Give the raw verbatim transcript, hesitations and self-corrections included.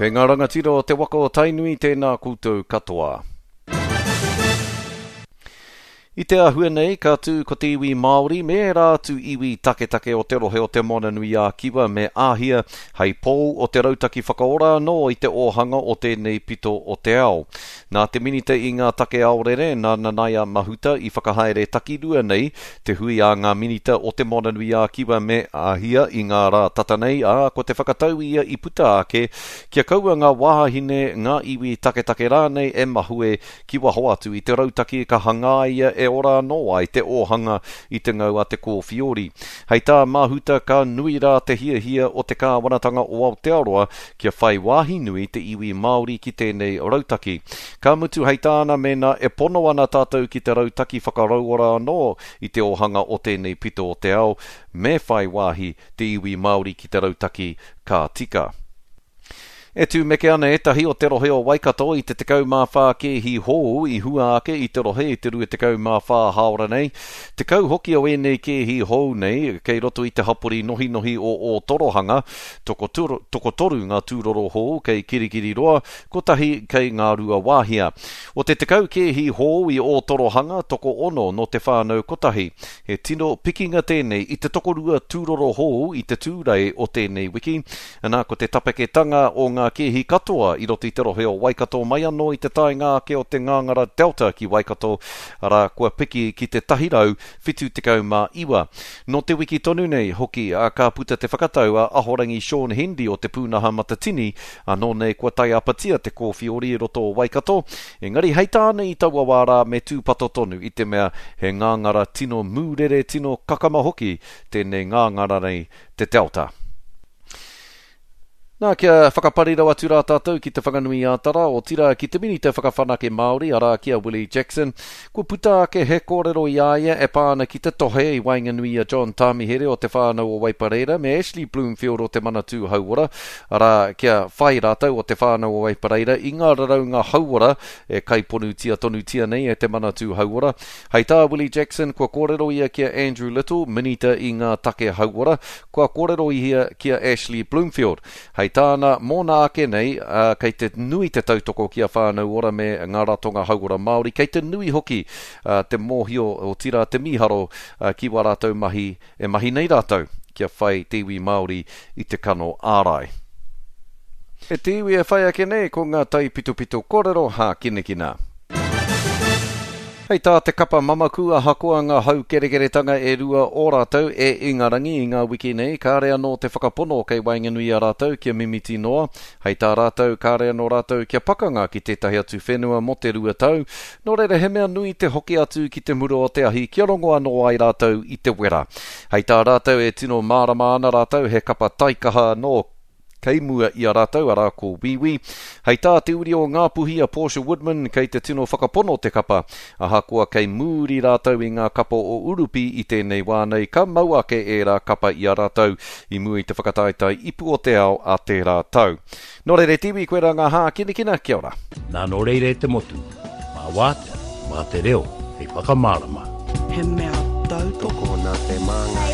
Kei ngā rangatira o te waka o Tainui, tēnā koutou katoa. I te āhua nei, ka tū ko te iwi Māori me ērā atu iwi taketake o te rohe o Te Moananui-a-Kiwa me Āhia hei pou o te rautaki whakaora anō i te ōhanga o tēnei pito o te ao. Nā te Minita i ngā take aorere, nā Nanaia Mahuta i whakahaere takirua nei te hui a ngā Minita o Te Moananui-a-Kiwa me Āhia i ngā rā tata nei, ā, ko te whakatau ia i puta ake kia kaua ngā wāhine, ngā iwi taketake rānei e mahue ki waho atu i te rautaki ka hangaia e ora anō ai te ōhanga i te ngau a te kōwhiori. Hei tā Mahuta ka nui rā te hiahia o te kāwanatanga o Aotearoa kia whai wāhi nui te iwi Māori ki tēnei rautaki. Ka mutu hei tāna mēnā e pono ana tātou ki te rautaki whakarauora anō i te ōhanga o tēnei pito o te ao, me whai wāhi te iwi Māori ki te rautaki ka tika. E tūmeke ana ētahi o te rohe o Waikato i te tekau mā whā kēhi hou i hua ake i te rohe i te rua tekau mā whā hāora nei. Tekau hoki o ēnei kēhi hou nei kei roto i te hapori nohinohi o Ōtorohanga, tokotoru, tokotoru ngā tūroro hou kei Kirikiriroa, kotahi kei Ngāruawāhia. O te tekau kēhi hou i Ōtorohanga, tokoono nō te whānau kotahi. He tino pikinga tēnei i te tokorua tūroro hou i te tūrei o tēnei wiki. Nā, ko te tapeketanga o ngā kēhi katoa i roto i te rohe o Waikato mai anō i te taenga ake o te ngāngara Delta ki Waikato, arā, kua piki ki te tahi rau whitu tekau mā iwa. Nō te wiki tonu nei hoki, ā, ka puta te whakatau a Ahorangi Shaun Hendy o te pūnaha matatini, anō nei kua taiapatia te kōwhiori i roto o Waikato, engari hei tāna i taua wā rā me tūpato tonu i te mea he ngāngara tino mūrere, tino kakama hoki tēnei ngāngara nei te Delta. Nā, kia whakaparirau atu rā tātou ki te Whanganui-ā-Tara, otirā ki te Minita Whakawhanake Māori, arā ki a Willie Jackson. Kua puta ake he kōrero i a ia e pā ana ki te tohe i waenganui i a John Tāmihere o te whānau o Waipareira me Ashley Bloomfield o te Manatū Hauora, arā, kia whai rātou o te whānau o Waipareira i ngā raraunga hauora e kaiponutia tonutia nei e te Manatū Hauora. Hei tā Willie Jackson, kua kōrero ia ki a Andrew Little, Minita i ngā take hauora, kua kōrero ia ki a Ashley Bloomfield. Hei tāna, mōna ake nei, uh, kei te nui te tautoko ki a Whānau Ora me ngā ratonga hauora Māori, kei te nui hoki uh, te mōhio, otirā te mīharo, uh, ki wā rātou mahi e mahi nei rātou, kia whai te iwi Māori i te kano ārai. E te iwi e whai ake nei, ko ngā taipitopito kōrero hākinakina. Hei tā te kapa mamaku ahakoa ngā haukerekeretanga e rua o rātou e Ingarangi i ngā wiki nei, kāre anō te whakapono kei waenganui i a rātou kia mimiti noa. Hei tā rātou, kāre anō rātou kia pakanga ki tētahi atu whenua mō te rua tau. Nō reira he mea nui te hoki atu ki te mura o te ahi kia rongo anō ai rātou i te wera. Hei tā rātou e tino mārama ana rātou he kapa taikaha anō kei mua i a rātou, arā ko Wīwī. Hei tā te uri o Ngāpuhi a Portia Woodman kei te tino whakapono te kapa. Ahakoa kei mūri rātou i ngā kapa o Urupi i tēnei wā nei, ka mau ake ērā kapa i a rātou i mua i te whakataetae ipu o te ao a tērā tau. Nō reira te iwi, koirā ngā hākinakina, kia ora. Nā nō reira e te motu, mā wātea, mā te reo, hei whakamārama. He mea tautoko. Tokona te māngai.